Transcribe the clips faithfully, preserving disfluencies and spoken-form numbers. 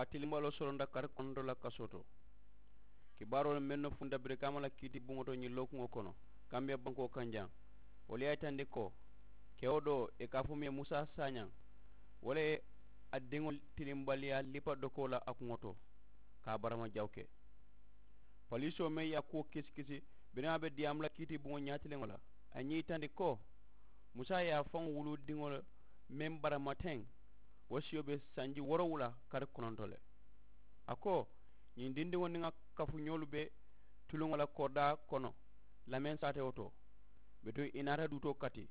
a tilimbaloo soronta kari kononto la kasoo to. Kibaaroolu mennu funta birikaama la kiiti buŋo to ñiŋ lookuŋo kono, kambiya bankoo kaŋ jaŋ, wolu ye a yitandi ko kewo doo ì ka a fo muŋ ye musa saañaŋ, wo le ye a diŋo tilimbaliyaa lipa dokoo la a kuŋo to, ka a barama jawu ke. Poliisoo meŋ ye a kuwo kisikisi biriŋ a be diyaamu la kiiti buŋo ñaatiliŋo la, a ye ñiŋ yitandi ko musa ye a faŋo wuludiŋo meŋ barama teŋ, wo siyo be sanji woorowula kari kononto le. A ko ñiŋ dindiŋo niŋ a kafuñoolu be tuluŋo la koridaa kono lameŋ saatewo to. Bituŋ ì naata duutoo kati.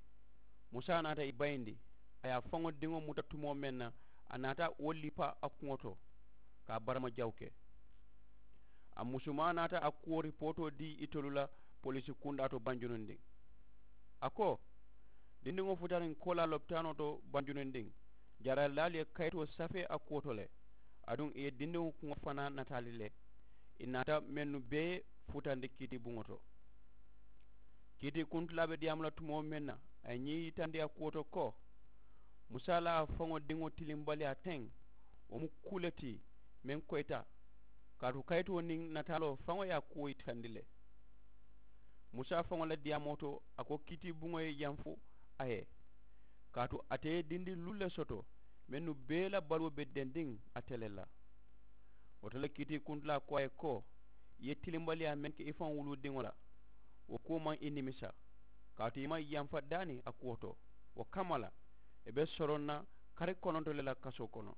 Musa naata ì bayindi, a ye a faŋo diŋo muta tumoo meŋ na, a naata wo lipa a kuŋo to, ka a barama jawu ke. A musumaa naata a kuwo ripootoo dii itolu la poliisi kundaa to banjunundiŋ. A ko dindiŋo futariŋ koolaa lopitaanoo to banjunundiŋ, jaaralilaalu ye kayitoo safee a kuwo to le. Aduŋ ì ye dindiŋo kuŋo fanaa nataali le. Ì naata mennu bee futandi kiiti buŋo to. Kiiti kuntilaa be diyaamu la tumoo meŋ na, a ye ñiŋ yitandi a kuwo to ko musa la a faŋo diŋo tilimbaliyaa teŋ, wo mu kuu le ti meŋ koyita. Kaatu kayitoo niŋ nataaloo faŋo ye a kuwo yitandi le. Musa faŋo la diyaamoo to a ko kiiti buŋo ye yanfu a ye, kaatu ate ye dindi luulu le soto mennu bee la baluwo be dendiŋ ate le la. Wo to le kiiti kuntilaa ko a ye ko ì ye tilimbaliyaa meŋ ke i faŋo wuludiŋo la, wo kuwo maŋ i nimisa, kaatu i maŋ yanfa daani a kuwo to. Wo kamma la, i be soroŋ na kari kononto le la kasoo kono.